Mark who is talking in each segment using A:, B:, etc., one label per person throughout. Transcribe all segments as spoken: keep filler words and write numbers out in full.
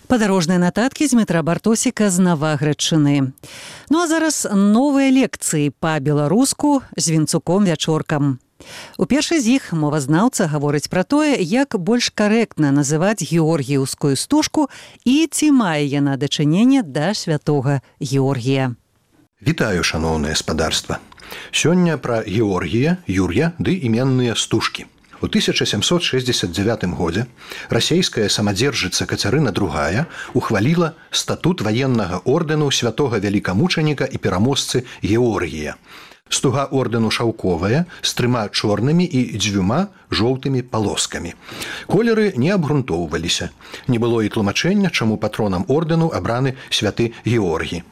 A: Падарожныя нататкі з метра Бартосіка з Наваградчыны. Ну а зараз новыя лекцыі па-беларуску з Вінцуком-Вячоркам. У першай з іх мовазнаўца гаворыць пра тое, як больш карэктна называць георгіеўскую стужку і ці мае яна дачыненне да святога Георгія.
B: Вітаю, шаноўнае спадарства. Сёння пра Георгія, Юр'я ды іменныя стужкі. У тысяча сямсот шэсцьдзесят дзявятым годзе расейская самадзержыца Кацярына другая ухваліла статут ваеннага ордэну святога вялікамучаніка і пераможцы Георгія. Стуга ордэну шаўковая з трыма чорнымі і дзвюма жоўтымі палоскамі. Колеры не абгрунтоўваліся. Не было і тлумачэння, чаму патронам ордэну абраны святы Георгій.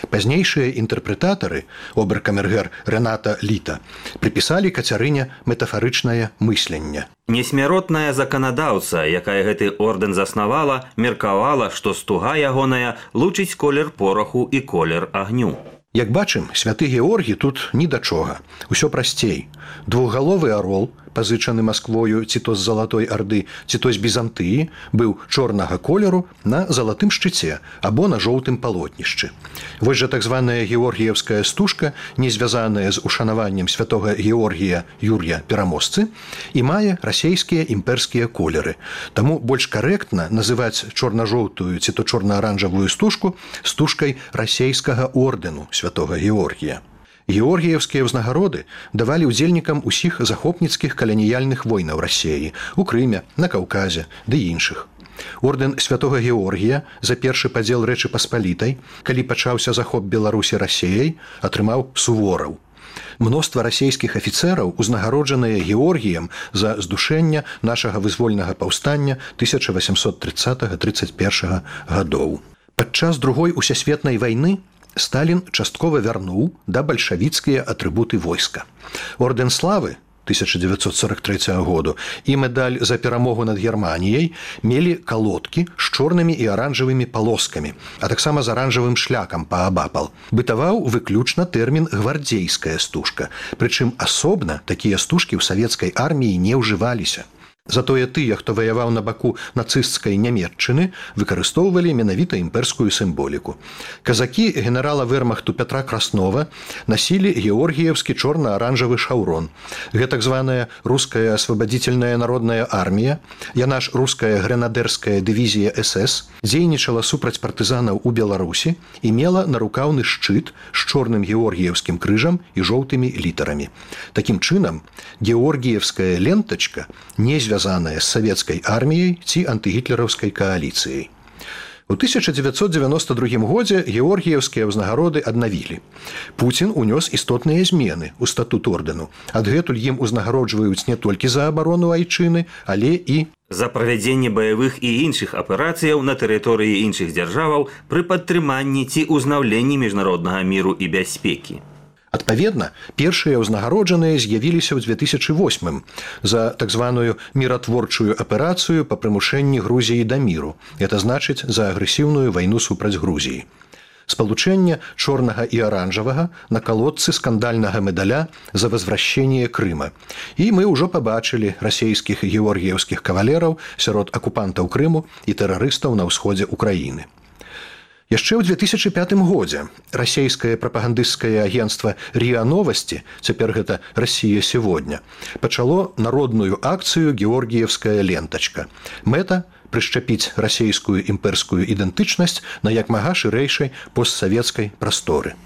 B: Пазнейшыя інтэрпрэтатары, оберкамергер Рената Літа, прыпісалі Кацярыне метафарычнае мысленне.
C: Несмяротная заканадаўца, якая гэты ордэн заснавала, меркавала, што стуга ягоная лучыць колер пораху і колер агню.
B: Як бачым, святы Георгій тут ні да чога. Усё прасцей. Двухгаловы арол, пазычаны Масквою ці то з Залатой Арды, ці то з Бізантыі, быў чорнага колеру на залатым шчыце або на жоўтым палотнішчы. Вось жа так званая георгіевская стужка, не звязаная з ушанаваннем святога Георгія Юр'я пераможцы, і мае расейскія імперскія колеры. Таму больш карэктна называць чорна-жоўтую ці то чорна-аранжавую стужку стужкай расейскага ордэну святога Георгія. Георгіевскія ўзнагароды давалі ўдзельнікам усіх захопніцкіх каланіяльных войнаў Расіі, у Крыме, на Каўказе ды іншых. Ордэн святога Георгія за першы падзел Рэчы Паспалітай, калі пачаўся захоп Беларусі Расіяй, атрымаў сувораў. Мноства расійскіх афіцэраў узнагароджаныя Георгіем за здушэнне нашага вызвольнага паўстання тысяча васямсот трыццатага - трыццаць першага гадоў. Падчас другой усесветнай вайны Сталін часткова вярнуў да бальшавіцкія атрыбуты войска. Ордэн славы тысяча дзевяцьсот сорок трэцяга году і медаль за перамогу над Германіяй мелі калодкі з чорнымі і аранжавымі палоскамі, а таксама з аранжавым шляхам паабапал. Бытаваў выключна тэрмін гвардзейская стужка, прычым асобна такія стужкі ў савецкай арміі не ўжываліся. Затое тыя, хто ваяваў на баку нацысцкай Нямецчыны, выкарыстоўвалі менавіта імперскую сімволіку. Казакі генерала вермахту Пятра Краснова насілі георгіевскі чорна-аранжавы шаўрон. Гэта так званая руская асвабадзітельная народная армія, яна ж руская гренадерская дывізія эс эс, дзейнічала супраць партызанаў у Беларусі і мела нарукаўны шчыт з чорным георгіевскім крыжам і жоўтымі літарамі. Такім чынам, георгіевская лентачка не звязаная з савецкай арміяй ці антыгітлераўскай кааліцыяй. У тысяча дзевяцьсот дзевяноста другім годзе георгіевскія ўзнагароды аднавілі. Пуцін унёс істотныя змены ў статут ордэну. Адгэтуль ім узнагароджваюць не толькі за абарону айчыны, але і
C: за правядзенне баявых і іншых аперацыяў на тэрыторыі іншых дзяржаваў пры падтрыманні ці ўзнаўленні міжнароднага міру і бяспекі.
B: Адпаведна, першыя ўзнагароджаныя з'явіліся ў две тысячы восьмым за так званую міратворчую аперацыю па прымушэнні Грузіі да міру. Это значыць за агрэсіўную вайну супраць Грузіі. Спалучэнне чорнага і аранжавага на калодцы скандальнага медаля за возвращение Крыма. І мы ўжо пабачылі расейскіх георгіевскіх кавалераў сярод акупантаў Крыму і тэрарыстаў на ўсходзе Украіны. Яшчэ ў две тысячы пятым годзе расійскае прапагандысцкае агенцтва РИА Новости, цяпер гэта Расія сегодня, пачало народную акцыю «Георгіевская лентачка». Мэта – прышчапіць расійскую імперскую ідэнтычнасць на як мага шырэйшай постсавецкай прасторы.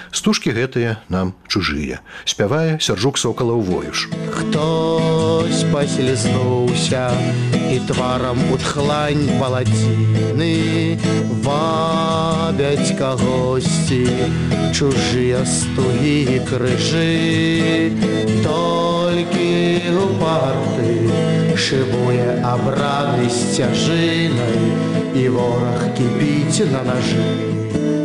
B: Стужкі гэтыя нам чужыя. Спявае Сяржук Сокалаў-Воюш.
D: Хтось паслізнуўся і тварам у тхлань паладзіны вабяць кагосьці чужыя стугі і крыжы. Толькі упарты шыбуе абраны сцяжынай і вораг кіпіць на нажы.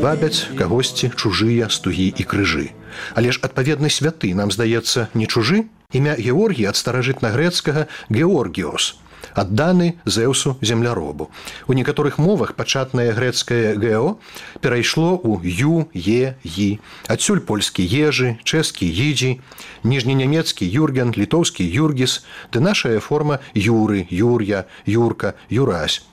B: Вабяць кагосьці чужыя стугі і крыжы. Але ж адпаведны святы, нам здаецца, не чужы? Імя Георгій ад старажытнагрэцкага «Георгіос», адданы Зэўсу земляробу. У некаторых мовах пачатнае грэцкае «гео» перайшло ў «ю», «е», «і». Адсюль польскі «ежы», чэшскі «їджі», ніжненямецкі «юрген», літоўскі «юргіс», ды нашая форма «юры», «юр'я», «юрка», «юрась».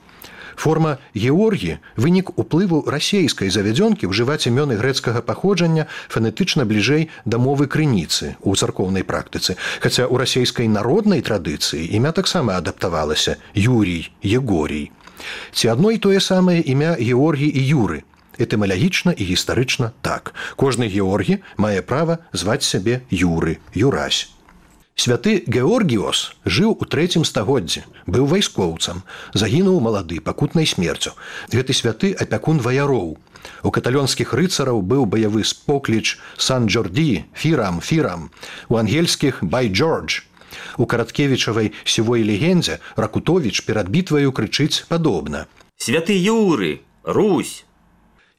B: Форма Георгі – вынік уплыву расейскай завядзёнкі ўжываць імёны грэцкага паходжання фанетычна бліжэй да мовы крыніцы ў царкоўнай практыцы. Хаця ў расейскай народнай традыцыі імя таксама адаптавалася – Юрій, Егорій. Ці адно і тое самае імя Георгі і Юры. Этымалагічна і гістарычна так. Кожны Георгі мае права зваць сябе Юры, Юрась. Святы Георгіос жыў у трэцім стагоддзі, быў вайскоўцам, загінуў малады пакутнай смерцю. Гэты святы апякун ваяроў. У каталёнскіх рыцараў быў баявы спокліч Сан-Джорді, Фірам, Фірам, у ангельскіх Бай Джордж. У Караткевічавай сівой легендзе Ракутовіч перад бітваю крычыць падобна.
C: Святы Юры, Русь.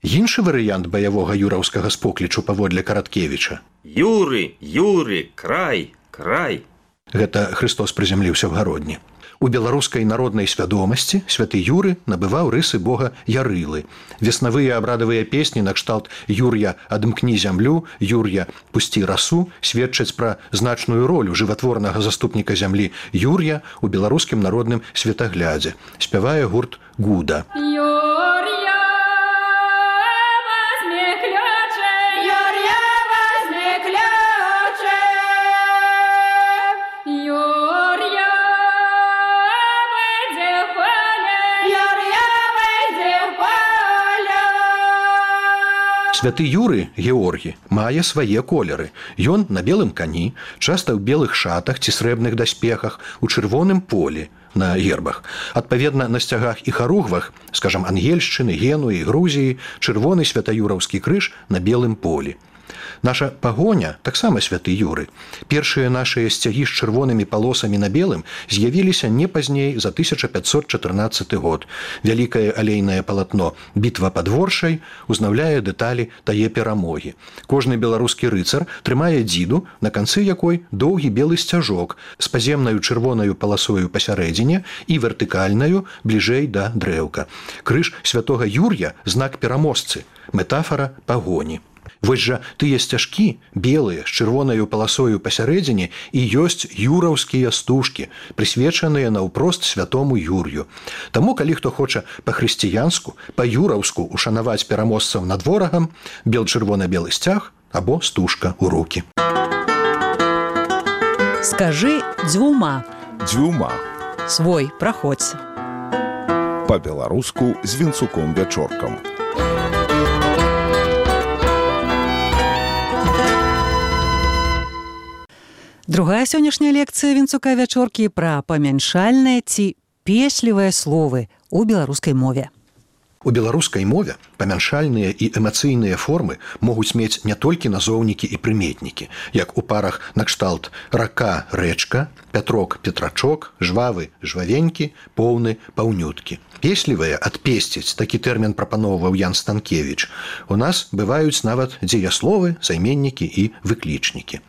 B: Іншы варыянт баявога юраўскага споклічу паводле Караткевіча.
C: Юры, Юры, край. Край.
B: Гэта Христос прызямліўся в гародні. У беларускай народнай свядомасці святы Юры набываў рысы бога Ярылы. Веснавыя абрадавыя песні накшталт «Юр'я, адымкні зямлю», «Юр'я, пусці расу» сведчаць пра значную ролю жыватворнага заступніка зямлі Юр'я у беларускім народным светаглядзе. Спявае гурт «Гуда». Святы Юры, Георгі, мае свае колеры. Ён на белым кані, часта ў белых шатах ці срэбных даспехах, у чырвоным полі на гербах. Адпаведна, на сцягах і харугвах, скажам, Ангельшчыны, Генуі, Грузіі, чырвоны святаюраўскі крыж на белым полі. Наша пагоня таксама святы Юры. Першыя нашыя сцягі з чырвонымі палосамі на белым з'явіліся не пазней за тысяча пятьсот чатырнаццаты год. Вялікае алейнае палатно «Бітва пад Воршай» узнаўляе дэталі тае перамогі. Кожны беларускі рыцар трымае дзіду, на канцы якой доўгі белы сцяжок з паземнаю чырвонаю паласою пасярэдзіне і вертыкальнаю бліжэй да дрэўка. Крыж святога Юр'я – знак пераможцы, метафара пагоні. Вось жа тыя сцяжкі, белыя, з чырвонаю паласою пасярэдзіне, і ёсць юраўскія стужкі, прысвечаныя наўпрост святому Юр'ю. Таму, калі хто хоча па-хрысціянску, па-юраўску ушанаваць пераможцаў над ворагам, бел-чырвона-белы сцяг або стужка ў рукі.
A: Скажы дзвюма.
E: Дзвюма.
A: Свой, праходзь.
E: Па-беларуску з Вінцуком Вячоркам.
A: Другая сённяшняя лекцыя Вінцука Вячоркі пра памяншальныя ці песлівыя словы ў беларускай мове.
B: У беларускай мове памяншальныя і эмацыйныя формы могуць мець не толькі назоўнікі і прыметнікі, як у парах накшталт рака, рэчка, пятрок, петрачок, жвавы, жвавенькі, поўны, паўнюткі. Песлівыя адпесціць, такі тэрмін прапаноўваў Ян Станкевіч. У нас бываюць нават дзеясловы, займеннікі і выклічнікі.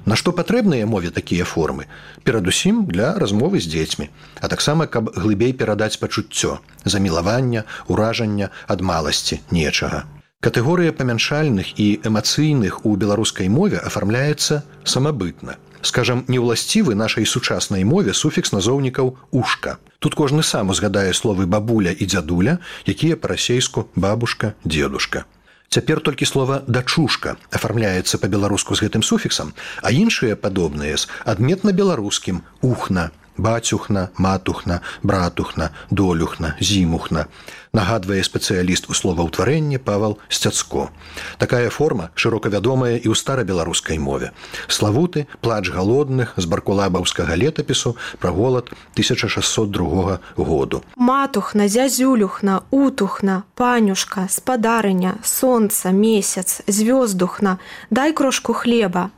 B: На што патрэбныя мове такія формы? Перадусім для размовы з дзецьмі, а таксама, каб глыбей перадаць пачуццё, замілавання, уражання ад маласці нечага. Катэгорыя памяншальных і эмацыйных у беларускай мове афармляецца самабытна. Скажам, неўласцівы нашай сучаснай мове суфікс назоўнікаў «ушка». Тут кожны сам узгадае словы «бабуля» і «дзядуля», якія па-расейску «бабушка», «дзедушка». Цяпер толькі слова «дачушка» афармляецца па-беларуску з гэтым суфіксам, а іншыя падобныя з адметна-беларускім «ухна», «бацюхна», «матухна», «братухна», «долюхна», «зімухна». Нагадвае спецыяліст у словаўтварэнні Павал Сцяцко. Такая форма шырока вядомая і ў старабеларускай мове. Славуты «Плач галодных» з баркулабаўскага летапісу пра голад тысяча шасцьсот другога году.
F: Матухна, зязюлюхна, утухна, панюшка, спадарыня, сонца, месяц, звёздухна, дай крошку хлеба.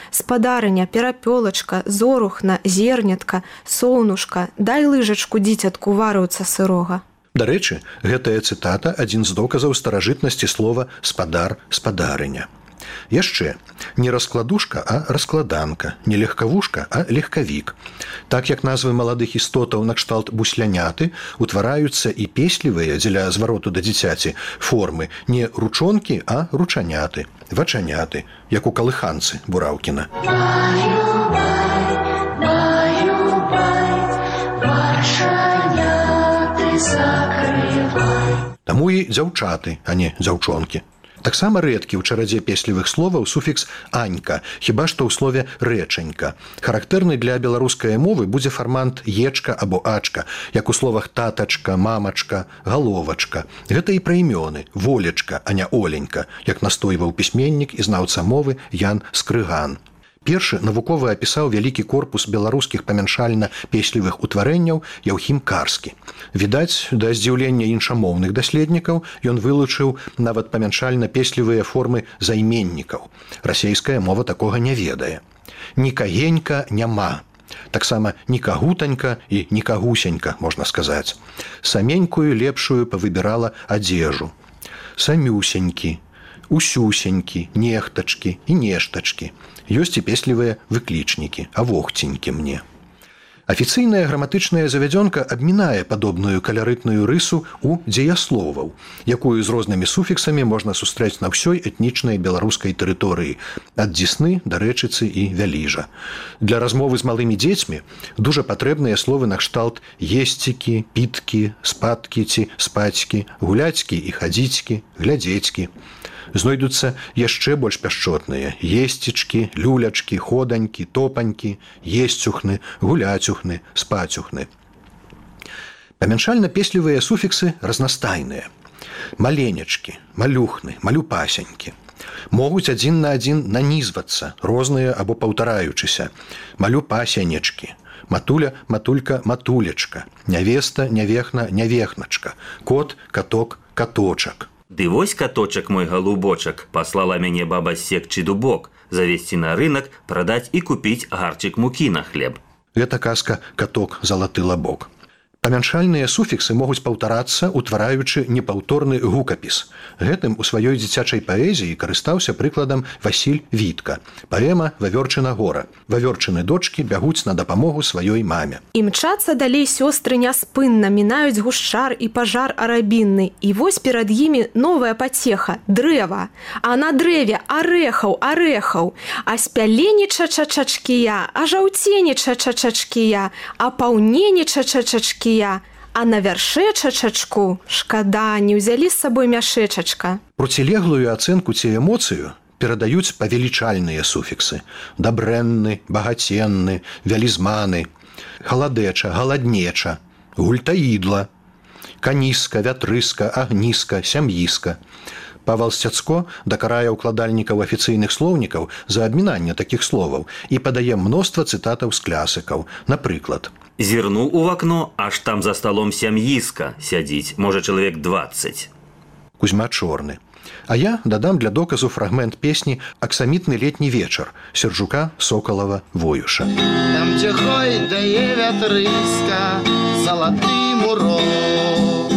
F: Спадарыня, перапёлачка, зорухна, зернятка, соўнушка, дай лыжачку дзіцятку варыўца сырога.
B: Дарэчы, гэтая цытата адзін з доказаў старажытнасці слова «спадар», «спадарыня». Яшчэ, не раскладушка, а раскладанка, не легкавушка, а легкавік. Так як назвы маладых істотаў накшталт бусляняты утвараюцца і песлівыя дзеля звароту да дзіцяці формы не ручонкі, а ручаняты, вачаняты, як у калыханцы Бураўкіна. Закрыты Таму і дзяўчаты, а не дзяўчонкі. Таксама рэдкі ў чарадзе песлівых словаў суфікс «анька», хіба што ў слове «рэчанька». Характэрны для беларускай мовы будзе фармант «ечка» або «ачка», як у словах «татачка», «мамачка», «галовачка». Гэта і пра імёны «волечка», а не «оленька», як настойваў пісьменнік і знаўца мовы Ян Скрыган. Першы навукова апісаў вялікі корпус беларускіх памяншальна-песлівых утварэнняў Яўхім Карскі. Відаць, да здзіўлення іншамоўных даследнікаў ён вылучыў нават памяншальна-песлівыя формы займеннікаў. Расейская мова такога не ведае. Нікагенька няма. Таксама нікагутанька і нікагусенька, можна сказаць. Саменькую лепшую павыбірала адзежу. Самюсенькі, усюсенькі, нехтачкі і нештачкі. Ёсць і песлівыя выклічнікі, а вохценькі мне. Афіцыйная граматычная завядзёнка абмінае падобную каларытную рысу ў дзеясловаў, якую з рознымі суфіксамі можна сустрэць на ўсёй этнічнай беларускай тэрыторыі, ад Дзесны да Рэчыцы і Вяліжа. Для размовы з малымі дзецьмі дужа патрэбныя словы накшталт есцікі, піткі, спадкі ці спацькі, гуляцькі і хадзіцькі, глядзецькі. Знойдуцца яшчэ больш пяшчотныя есцічкі, люлячкі, ходанькі, топанькі, есцюхны, гуляцюхны, спацюхны. Памяншальна-песлівыя суфіксы разнастайныя. Маленечкі, малюхны, малюпасенькі. Могуць адзін на адзін нанізвацца, розныя або паўтараючыся. Малюпасенечкі. Матуля, матулька, матулечка. Нявеста, нявехна, нявехначка. Кот, каток, каточак.
C: Ды вось каточак мой галубочак, паслала мяне баба секчы дубок, завесці на рынок, прадаць і купіць гарчык мукі на хлеб.
B: Гэта казка «Каток, залаты лабок». Памяншальныя суфіксы могуць паўтарацца, утвараючы непаўторны гукапіс. Гэтым у сваёй дзіцячай паэзіі карыстаўся прыкладам Васіль Вітка. Паэма «Вавёрчына гора». Вавёрчыны дочкі бягуць на дапамогу сваёй маме.
F: Імчацца далей сёстры няспынна, мінаюць гушчар і пажар арабінны. І вось перад імі новая пацеха – дрэва. А на дрэве арэхаў, арэхаў. А спялені чачачачкія, а жаўцені чачачачкія, а паўнені чачачачкія. А на вярше чачачку, шкада, не ўзялі з сабой мяшэчачка.
B: Процілеглую ацэнку ці эмоцыю перадаюць павелічальныя суфіксы. Дабрэнны, багаценны, вялізманы, халадэча, галаднеча, гультаідла, каніска, вятрыска, агніска, сям'іска. Павал Сцяцко дакарае ўкладальнікаў афіцыйных слоўнікаў за абмінанне такіх словаў і падае мноства цытатаў з клясыкаў. Напрыклад,
C: зірнуў у вакно, аж там за столом сям'іска сядзіць, можа чалавек дваццаць.
B: Кузьма Чорны. А я дадам для доказу фрагмент песні «Аксамітны летні вечар» Сержука Соколова Воюша.
D: Там, дзе гойдае вятрыска, залаты мурок,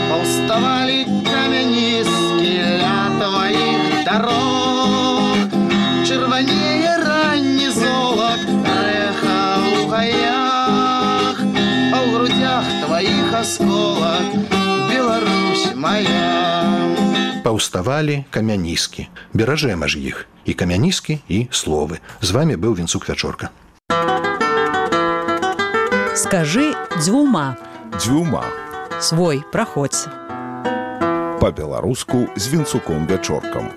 D: паўставалі камяніскі ля тваіх дарог. Чырванее ранні золак, рэха ў гаях, а ў грудях тваіх асколак, Беларусь моя.
B: Паўставалі камяніскі. Беражэм аж іх. І камяніскі, і словы. З вами быў Вінцук Вячорка.
A: Скажы дзвюма.
E: Дзвюма.
A: Свой, праходзь.
E: Па-беларуску з Вінцуком Вячоркам.